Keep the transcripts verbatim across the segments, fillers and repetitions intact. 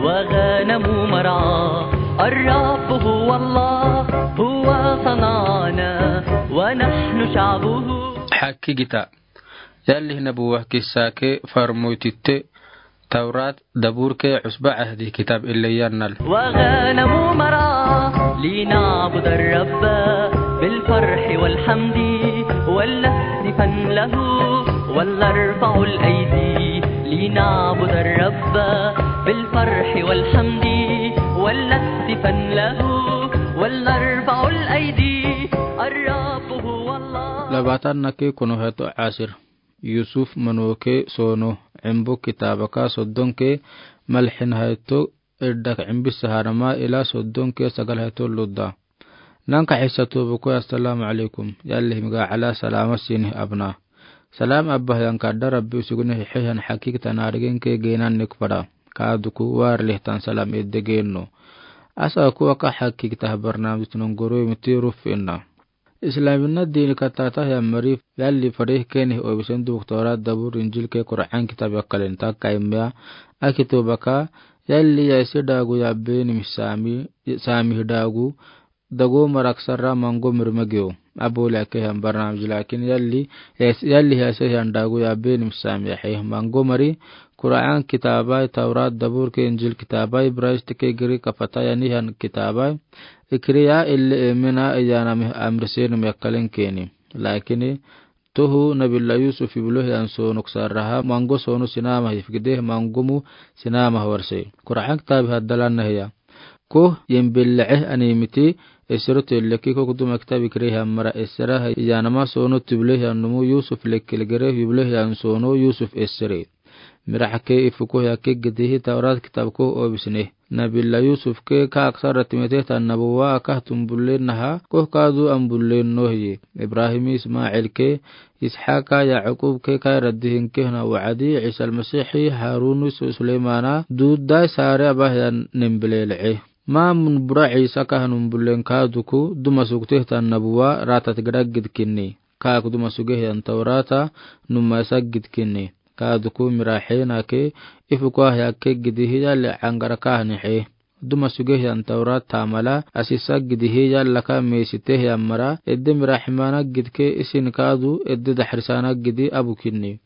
وغنم مرعى. الرب هو الله، هو صنعنا ونحن شعبه. Hakiigita. Yalli Nabuwa kissa kee farmoytitte Tawraat daburke Usba Ahdi kitaab ille yannal. وغنم مرعى لنعبد الرب بالفرح والحمد ولنهتفن له ولنرفع الأيدي لنعبد الرب بالفرح والحمد ولنهتفن له ولنرفع الأيدي. الرب هو الله. Labaatan naki kono heto asir. Yusuf manoke sono, embo kitaabaka soddonke malxin hayto, eddak embis harama ila soddonke sagal hayto ludda. Nanka xisa tobuko, assalaamu alaykum. Yalli miga ala salaama sinih abna. Salaam abba hiyan kadda Rabbi usuguni hixihan hakiigita naarigenke geenan nik fada. Kaaduku waar lihtan salaam edde geenno. Asa kuwaka hakiigita barnaamij tunon goro miti ruf inna. Islaamina diini kataata hiyan mari yalli fadih keenih obisen duk Tawraat dabur Injil kee Qur'an kitaab yakkalen takka immiya aki tobaka yalli yaisi daagu yabbenim saami, saami daagu dago marak sarra mango mirmagiyo. Abole ake hiyan barnaamij laakin yalli, yais-, yalli yaisi hiyan daagu yabbenim saami yaxe mango mari Qur'an kitaabai Tawraat dabur kee Injil kitaabai Ibrayist kee Girik kafata yani hiyan kitaabai. Ikiriya ille emina iyanami amrisenum yakkalen keeni. Laakini tohu Nabiyullah Yusuf iblo hiyan soonuk sarraha mango soonu sinama hifgide mangomu sinama warse. Qur'an kitaabi haddalan nahiya. Koh yembelle'e animiti esero telleki kok duma kitaabi kire hiyan mara esera iyanama soonu tiblo hiyan numu Yusuf lekkel gere iblo hiyan soonu Yusuf esere. Miraxake ifuko hiyakke gidihi Tawraat kitaabko obisne. Nabiyullah Yusuf ke ka aksara timitehtan nabuwa aka tumbullen naha koh kaadu ambullen nohiye. Ibrahim Ismail ke Isxaqa Yaqub ke ka raddihin ke na wa'adi Isa Almasihi Harun Su-, Suleymana duudai sare aba hiyan nembelele'e. Ma mun bura Isa ka numbullen kaaduku duma suktehtan nabuwa ratat gidagid kinni. Kaaku duma suge hiyan Tawraata numma isa gid kinni. Kaaduku miraxena ke ifuko hiyakke gidihi yalli angara ka nixe. Duma suge hiyan Tawraat tamala asisa gidihi yallaka meesite hiyan mara edde miraximana gidke isin kaadu edde daxrisana gidi abu kinni.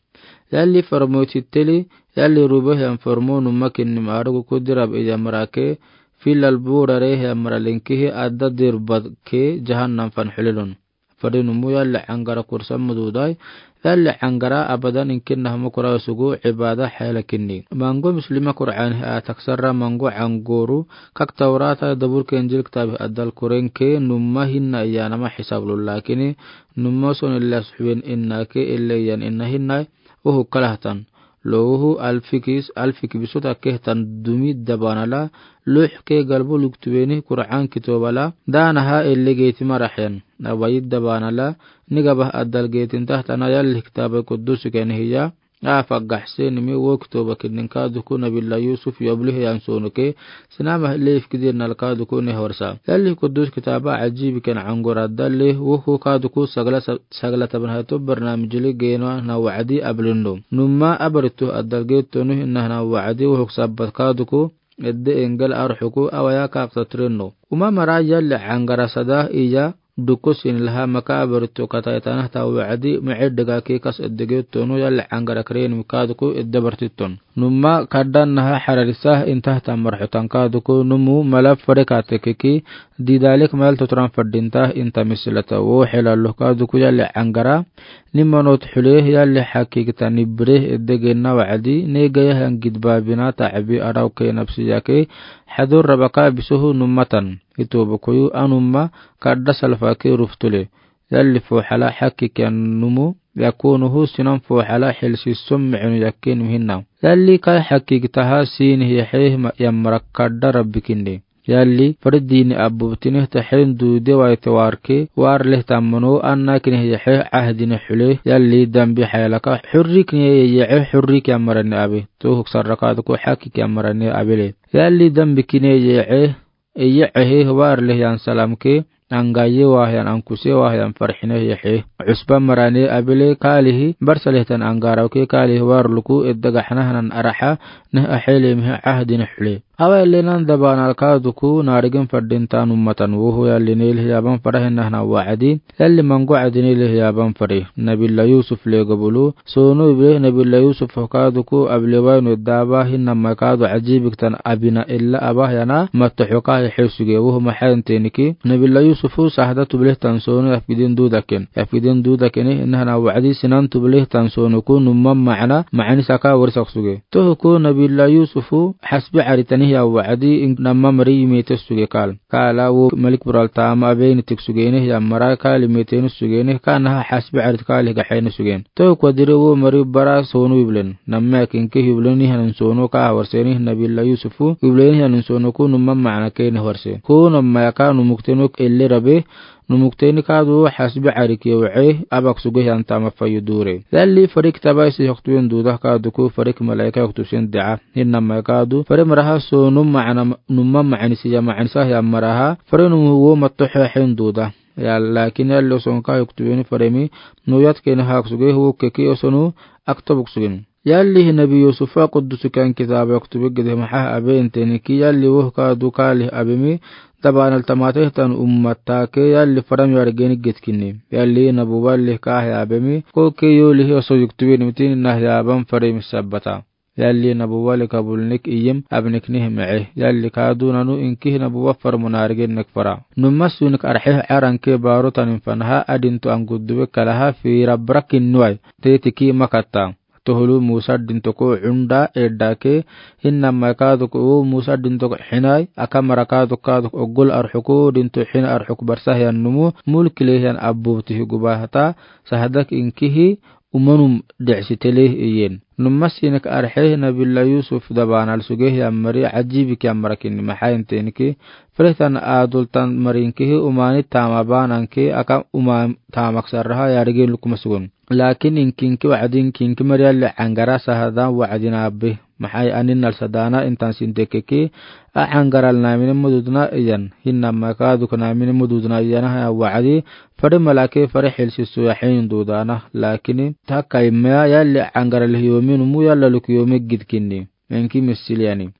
Yalli farmoytitteli yalli rube hiyan farmo numma kinni maarugu kudirab iya marake filal burare hiyan mara lenkihi adda dirbad ke jahannam fan xulelun. Fadi numu yalli angara kursa mududai, yalli angara abadan inkinna hamo kura sugu ibada xayala kinni. Mango muslima Qur'an hi ataksarra mango angoru, kak Tawraata dabur ke Injil kitaabi adal kurenke numma hinna iyanama xisablu lakini, numma son illa suxuwen innake ille iyan inna hinnai, uhu kalahtan. Lohu alfikis, alfik bisota kehtan dumi dabanala, luxke galbu luktuweni Qur'an kitobala, danaha ille geeti maraxen. Awayi dabanala, nigabah adal geetin tahtana yalli kitaabi kudus kenihiya, afa gaxsenimi wo kitoba kinnin kaaduku Nabiyullah Yusuf yoblihi yan sonuke, sinama leif kidin nal kaaduku nehorsa. Yalli kudus kitaaba ajibi ken angora dalle, wo kaaduku sagla sa-, sagla taban hato barnamijili geeno na wa'adi ablinno. Numma abaritu adal geetonu hinna na wa'adi wo huk sabbat kaaduku, edde engel arxuku awaya kaaksa tirenno. Uma mara yalli angara sada iya, duko sin laha maka abarto kata itana ta wa'adi, ma'e dega ke kas edege tonu yalli angara kren mika duko edde bartiton. Numma kaddan naha hararisa inta ta marxutan ka duko numu mala fare ka tekeki, didalik mal totran fadinta inta misilata wo xelallo ka duko yalli angara, nimanot xule yalli xakigita nibre edde genna wa'adi, ne gaya hangid babina ta abi araw ke nabsiya ke, xadur rabaka bisohu nummatan. Itobokoyu anumma kadda salfake ruftule. Yalli foxala xakikiyan numu, yakonuhu sinan foxala xilsisom micnu yakke nuhinna. Yalli kai xakigitaha sinih yaxeh ma-, yamara kadda rabbi kinni. Yalli fardini abubtineh taxen duude waite warke, war leh tammano anna kineh yaxeh ahdine xule, yalli dambi xayalaka xurri kineh yaxeh xurri kiyamarani abe. Tohuk sarrakaduku xakikiyamarani abele. Yalli dambi kineh yaxeh, Eye ehe war leh yan salam ke, Aŋgayewaa hiyan, aŋkusewaa hiyan farhine hiyehe. Usba marane abele kaalihi, barsaleh tani aŋgarawke kaalihi warluku edda gaxna hanan araha, neh ahelemihe ahdine hule. Awa ele nan dabaanal kaaduku naarigin fadintan ummatan woho yalli neel hiyaban farahin nahna wacdi, yalli mango wacdi neel hiyaban fari. Nabila Yusuf le gabulu, Sono ible Nabila Yusuf kaaduku ablewaino edda aba hin namma kaadu ajibik tani abina ella aba yana mattoxo ka hesuge woho maxayin teniki. Nabila Yusufu sahda tubleh tani sono yafgidin dudaken. Yafgidin dudakeni nahna wacdi sinan tubleh tani sonoku numma macna macni saka warisak suge. Tohuku Nabila Yusufu xasbi caritani hiya wacdi in namma mari yimete suge kaal. Kaala wo malik bural taama abeyni tik sugene hiya mara kaali meteni sugene kaanaha xasbi carit kaali gaxeni sugen. Tohuku adire wo mari bara sono iblen. Namma kinke iblen ni hanin sono ka warseni Nabila Yusufu iblen hanin sonoku numma macna keni warse. Ko namma yaka numukteno elle rabe, numukteni kaadu xasbi carike wace abak suge hiyan taama fayu dure. Yalli farik taba isi yoktuwen duda kaaduku farik malaika yoktusen daa. Hin namma kaadu fare maraha sono macna numma macni siya macni sa hiya maraha fare numu wo mattoxo hin duda. Ya, lakin yalli osonka yoktuweni faremi nuyat keni hak suge hu keki osonu aktobuk sugen. Yalli hi Nabi Yusufa qudusukan kitaba yoktube gide maxa abe inteni ki yalli woh kaadu kaali abemi dabaanal tamateh tani ummattake yalli faram yargeni getkini. Yalli nabuwa lih kahe abemi koke yoli hi oso yoktube nimitini nahyaban faremi sabbata. Yalli nabuwa lih kabulnik iyim abnik nih mece. Yalli kaadu nanu inki hi nabuwa farmu naargen nek fara. Numma sunik arxeh caranke baro tanin fanaha adintu anguddube kalaha fira brakin nuway. Tetiki makatta. Tohulu Musa dintoko cunda eddake, hin namma kaaduk wo Musa dintoko xinay, aka mara kaaduk kaaduk ogol arxuku dinto xina arxuk barsa hiyan numu, mulkile hiyan abbubti hi gubahata, sahdak inkihi, umanum decsitele iyen. Numma sinik arxe Nabila Yusuf dabaanal suge hiyan mari ajibik hiyan marakin maxayin tenki, frehtan adultan marinkihi umani tama bananki aka uma tamak sarraha yarigin lukuma sugun. Lakin inkinki wacdi inkinki mari yalli cangara sahada wacdina abbi. Maxay anin nal sadana intan sintekeki, a cangaral namine mududna iyan. Hin namma kaaduk namine mududna iyana haya wacdi, fari malake fari xilsisu yaxin dudana. Lakini taka imaya yalli cangaral hiyomi numu yalla luk yomi gidkini. Inki misiliyani.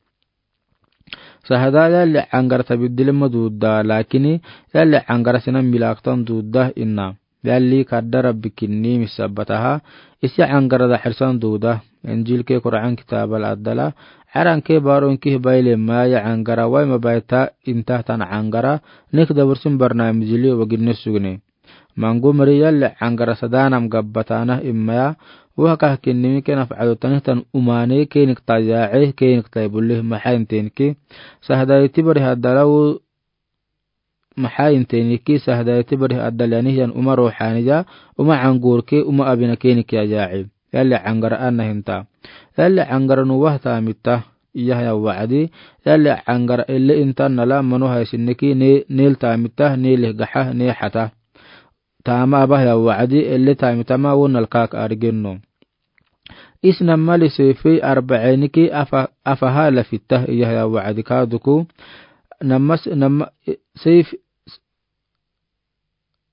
Sahada yalli cangara tabiddile maduda, lakini yalli cangara sinan milaktan duda inna. Yalli kadda Rabbi kinni misabbataha, isi cangara daxirsan duda, Injilke Qur'an kitabal addala, caranke baro inkihi bayle maya cangara wai mabayta intahtan cangara, nik dabursin barnamijili waginne sugne. Mangu mari yalli cangara sadanam gabbatana imaya, wahakah kinnimi kenaf cadotanihtan umane kenik tayace, kenik taybulih maxayin tenki, sahda iti bari haddala wu Maxaa inteeniki sahdaayati bari addal yanihiyan uma ruuxaaniya, uma cangurke, uma abinake nikiya yaaci. Yalli cangara ana hinta. Yalli cangara nuwah taamita. Iyahaya wacdi. Yalli cangara ele inta nala manu haysinniki ne-, neel taamita, neelih gaxa, nee xata. Taama abahaya wacdi, ele taamitama wo nalkaak argenno. Isna mali seefey arbaciniki afa-, afaha lafitta iyahaya wacdi kaaduku. Namas-, nama-, seef-,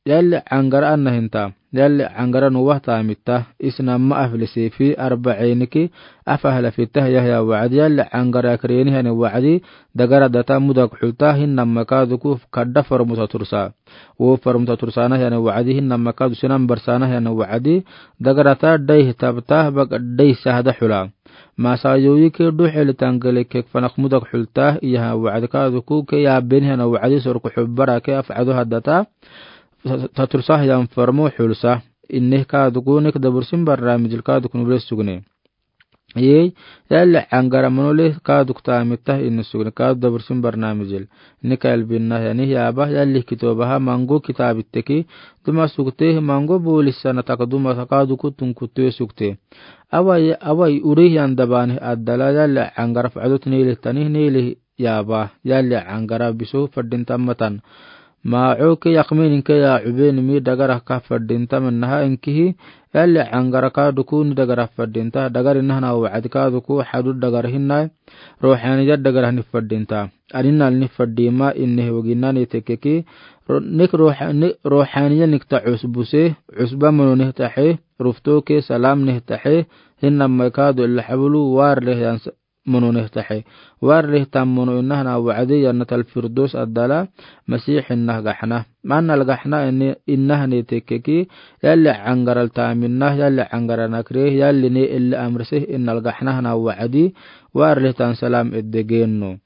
yalli cangara ana hinta. Yalli cangara nuwah taamita. Isna ma afli seefey arbaciniki afaha lafitta iyahaya wacdi. Yalli cangara akreeni hani wacdi. Dagara data mudak xulta hin nama kaaduku kadda farmuta tursa. Wo farmuta tursaanah yani wacdi hin nama kaadu sinan barsaanah yani wacdi. Dagarata dayh tabta bak dayh sahda xula. Masa yoyike duxeli tangele kek fanak mudak xulta iyaha wacdi kaaduku ke yaabeni hana wacdi sorku xubbarake afcado haddata. Ta-, ta tursah yan farmu xulsa. Inne kaaduku nek dabursin barnaamijil kaaduku nuble sugne. Yey, yalli cangara manole kaaduk taamita inne sugne kaadu dabursin barnaamijil. Nika yalbinna yani yaaba yalli kitoobaha mango kitaabitteki duma sugte mango boolisana taka duma kaaduku tunkutte sugte. Awai, awai uri yan dabaani addala yalli cangara facdot neelih tani neelih yaaba yalli cangara bisu fadin tammatan. Maaɔ ke yaqmin inke ya ubeni mi dagara ka fadinta mennaha inkihi, yalli angara ka duku ni dagara fadinta, dagari nahna wa'adi ka duku hadu dagara hinai, rohaniya dagara ni fadinta. Aninal ni fadima inne wagina ni tekeki, ro-, nik roha-, ni rohaniya nik ta usbuse, usba mono nih tahe, rufto ke salam nih tahe, hinna maikadu illa habulu war leh yan mono nih tahe. War leh tam mono inna hana wa'adi Jannatal Firdos adala Masih inna gahna. Manal gahna inna hana tekeki, yalli angaral taminna, yalli angara nakre, yalli ne illa amrse innal gahna hana wa'adi, war leh tan salam edde genno.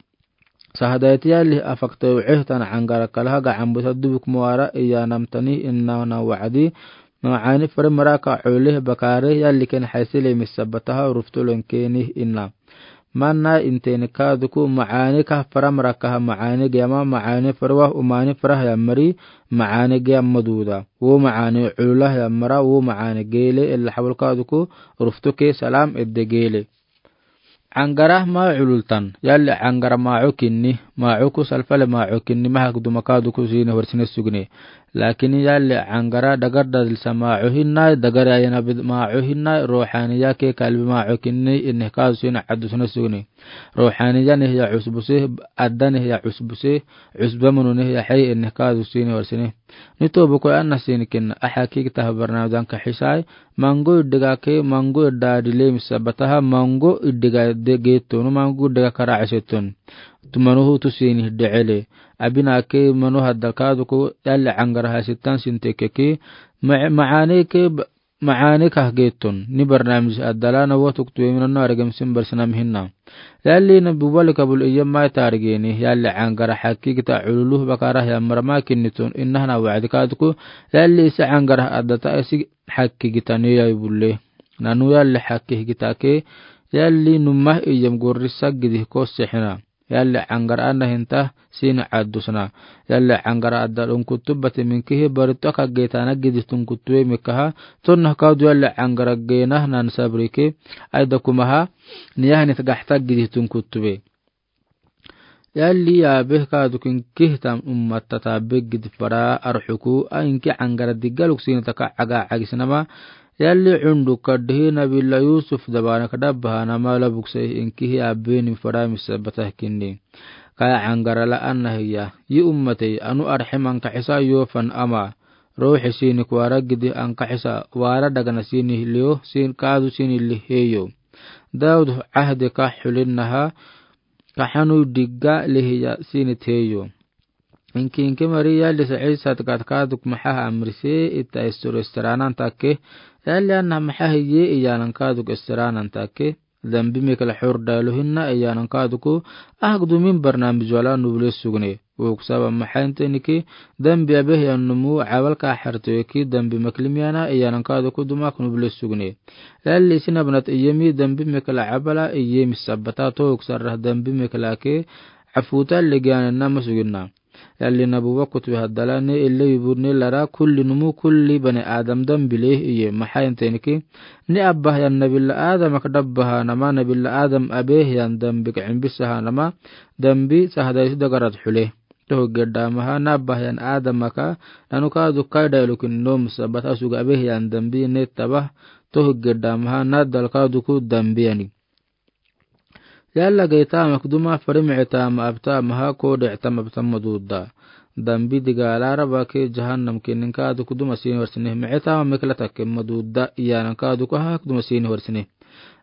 Sahadaiti yalli afakte wa'eh tan angara kalaha ga ambuta dubuk muara iya namtani inna hana wa'adi, Ma'ani fere maraka uleh bakare yalli ken haisile misabataha ruftulen keni inna. Manna inteni kaduku ma'ani ka fere marakaha ma'ani gema ma'ani fere wa umani fere ya mari ma'ani gema duda. Wo ma'ani ula ya mara wo ma'ani gele illa habul kaduku ruftuke salam edde gele. Angara maaɔ ulultan, yalli angara maaɔ kinni, maaɔ ku salfale maaɔ kinni, mahak duma kaduku sini horsine sugne. Lakin yalli angara dagar dadilsa maaɔ hinna, dagar ayana bid maaɔ hinna, rohaniya ke kalbi maaɔ kinni, inne kadu sini addu sine sugne. Rohaniya ne ya usbuse, adda ne ya usbuse, usba mono ne ya hay inne kadu sini horsine. Nito buko anna sini kinna, aha kikita habarna danka hisai, Mango iddiga ke, mango idda dile misabataha, mango iddiga de getonu, mango iddiga kara asetonu. Tu manuhu tu sini de'ele. Abina ke manu haddal kaduku, yalli angara hasitan sin tekeki. Ma-, ma'ani ke, ma'ani kah getonu. Ni barnamij addala na watuk tuwe minanu argem sin barsinam hinna. Yalli na bubali kabul iya mai targeni, yalli angara haki kita ululuh bakara ya marama kinitun, inna hana wa'adi kaduku, yalli isi angara addata isi haki kita ni ya bulle. Nanu yalli haki kita ke, yalli numah iyam gorri sagidi kose hina. Yalli angara anna hinta sini addu sana. Yalli angara addal unkutubati minkihi baritu aka geta na gidi tunkutuwe mikaha, tonna kadu yalli angara gena nan sabrike, aida kumaha, Niyaha ni tagahta gidi tunkutuwe. Yalli ya beh kaduku inkih tam ummatta ta beh gidi fara arhuku, a inki angara digaluk sini taka aga agisnama. Yalli undu kadhi Nabilla Yusuf dabana kadabbaha nama la bukse inkihi a beni fara misabata kinni. Kaya angara la anna hiya. Yi ummatey anu arhiman kahisa yofan ama. Ruhi sini kuwara gidi an kahisa wara dagana sini liyo sin kadu sini liheyo. Daud ahde ka hulinnaha ka hanu digga lihiya sini teyo. Inki inki mari yalli sa isa tkat kaduk mahaha amrise ita istur istiranan take. Yalli anna mahaha ye iyanan kaduk istiranan take. Dambi mekla hur dalu hinna iyanan kaduku ahak dumin barnamij wala nubule sugne. Uksaba mahainte niki dambi abeh yan numu awal ka harto eki dambi maklim yana iyanan kaduku dumak nubule sugne. Yalli sina banat iyemi dambi mekla abala iyemi sabata to uksarah dambi mekla ke afuta legiana nama suginna. Yalli nabuwa kutwe haddala ne ille wibur ne lara kulli numu kulli bani Adam dambi leh iye mahainte niki. Ni abbah yan Nabilla Adam ak dabbaha nama Nabilla Adam abeh yan dambi ka imbisaha nama dambi sahadai su dagarat hule. Tohu gedda maha na abbah yan Adam aka nanu kadu kaida ilukin nom sabat asuga abeh yan dambi ne tabah tohu gedda maha na dal kaduku dambi yani. Yalla geytama kuduma fari mi'itama abtamaha kode itama abtama duda. Dambi diga alara bake jahannam kinin kadu kuduma sini warsine mi'itama mekla take maduda iyanan kadu kaha kuduma sini warsine.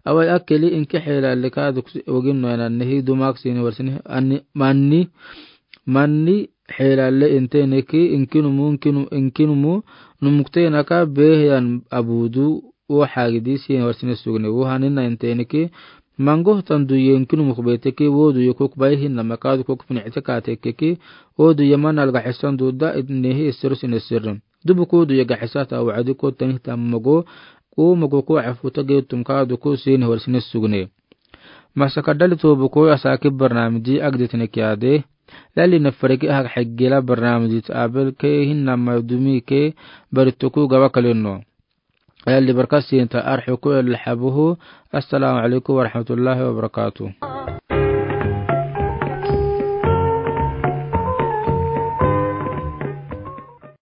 Awai akeli inki hela le kadu wagin no yanan nehi dumak sini warsine ani manni manni hela le inte neki inkinumu inkinu inkinumu numukte naka behiyan abudu. Wo hagidi sini warsine sugne wo hanina inte neki mango tan duye inkinumuk beteki wo duye kuk bai hinna makadu kuk pini ite kate keki wo duye manal ga hisan duda nehi isir sine sirrin. Dubu ko duye ga hisata wa'adi ko tani ta mago ko mago ko afuta ge tum kadu ko sini warsine sugne. Masaka dali tobu ko asaki barnamiji agditine kiyade. Yalli na fariki ahak hegela barnamiji ta abel ke hinna madumi ke barituku gaba kalino. Yalli barkasin ta arhuku yalli habuhu. Assalamu alaikum warahmatullahi wabarakatuh.